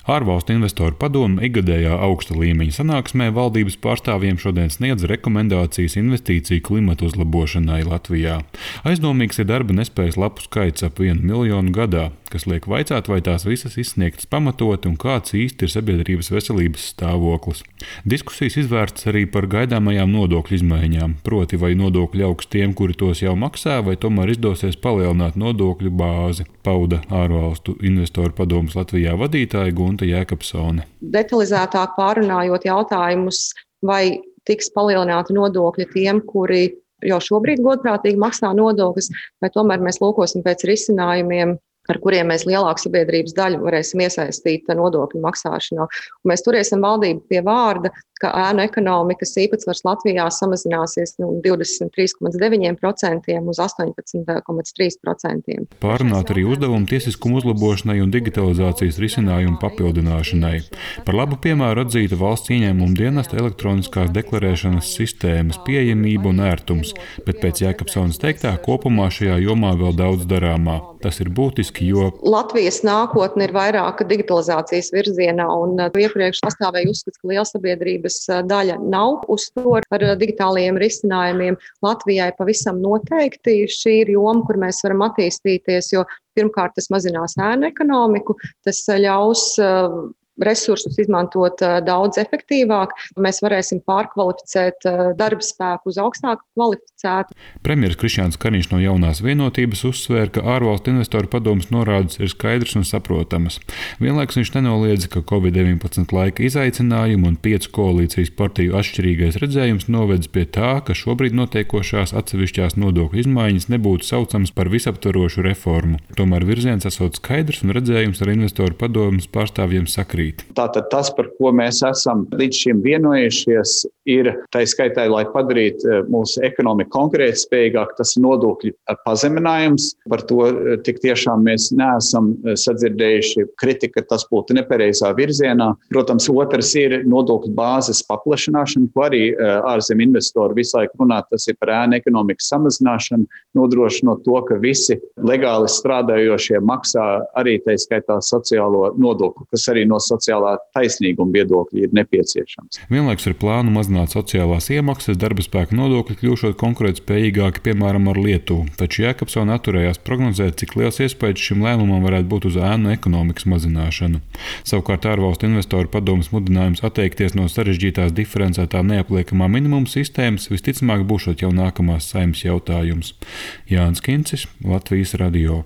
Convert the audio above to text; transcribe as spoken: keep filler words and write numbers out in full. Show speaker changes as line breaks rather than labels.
Ārvalstu investoru padome ikgadējā augsta līmeņa sanāksmē valdības pārstāvjiem šodien sniedz rekomendācijas investīciju klimata uzlabošanai Latvijā. Aizdomīgs ir darba nespējas lapu skaits ap vienu miljonu gadā, kas liek vaicāt, vai tās visas izsniegtas pamatoti un kāds īsti ir sabiedrības veselības stāvoklis. Diskusijas izvērsts arī par gaidāmajām nodokļu izmaiņām, proti vai nodokļi augs tiem, kuri tos jau maksā, vai tomēr izdosies palielināt nodokļu bāzi, pauda ārvalstu investoru padomes Latvijā vadītāja Gunta Jēkabsone.
Detalizētāk pārunājot jautājumus, vai tiks palielināti nodokļi tiem, kuri jau šobrīd godprātīgi maksā nodokļus, vai tomēr mēs lūkosim pēc risinājumiem, ar kuriem mēs lielāku sabiedrības daļu varēsim iesaistīt nodokļu maksāšanā. Un mēs turēsim valdību pie vārda, ka ēnu ekonomikas īpatsvars Latvijā samazināsies no divdesmit trīs komats deviņi procenti uz astoņpadsmit komats trīs procenti.
Pārunāt arī uzdevumu tiesiskumu uzlabošanai un digitalizācijas risinājumu papildināšanai. Par labu piemēru atzīta valsts ieņēmuma dienesta elektroniskās deklarēšanas sistēmas pieejamība un ērtums, bet pēc Jēkabsones teiktā kopumā šajā jomā vēl daudz darāmā. Tas ir būtiski, jo
Latvijas nākotne ir vairāk digitalizācijas virzienā, un iepriekš pastāvēja uzskats, ka liela sabiedrības daļa nav uz to ar digitālajiem risinājumiem. Latvijai pavisam noteikti šī ir joma, kur mēs varam attīstīties, jo pirmkārt tas mazinās ēnu ekonomiku, tas ļaus resursus izmantot daudz efektīvāk. Mēs varēsim pārkvalificēt darba spēku uz augstāk kvalificētu.
Premjeras Krišjāns Kariņš no Jaunās vienotības uzsvēra, ka ārvalstu investoru padomes norādes ir skaidras un saprotamas. Vienlaikus viņš nenoliedza, ka covid deviņpadsmit laika izaicinājumi un piecu koalīcijas partiju atšķirīgais redzējums novedz pie tā, ka šobrīd notiekošās atsevišķās nodokļu izmaiņas nebūtu saucams par visaptvarošu reformu. Tomēr virziens esot skaidrs un redzējums ar investoru padomes pārstāvjiem sakrīt.
Tātad tas, par ko mēs esam līdz šim vienojušies, ir tā skaitā, lai padarītu mūsu ekonomiku konkurētspējīgāk, tas ir nodokļu pazeminājums. Par to tik tiešām mēs neesam sadzirdējuši kritika, ka tas būtu nepareizā virzienā. Protams, otrs ir nodokļu bāzes paplašināšana, ko arī ārzem investori visu laiku runā, tas ir par ēnu ekonomikas samazināšanu, nodrošinot to, ka visi legāli strādājošie maksā arī tā skaitā sociālo nodokli, kas arī no sociālā taisnīguma viedokļa ir nepieciešams.
Vienlaikus ir plānu mazināt sociālās iemaksas, darba spēka nodokļi kļūšot konkurētspējīgāki, piemēram, ar Lietuvu. Taču Jēkabsone atturējās prognozēt, cik liels iespējas šim lēmumam varētu būt uz ēnu ekonomikas mazināšanu. Savukārt ārvalstu investoru padomes mudinājums atteikties no sarežģītās diferencētā neapliekamā minimuma sistēmas visticamāk būšot jau nākamās Saeimas jautājums. Jānis Kincis, Latvijas radio.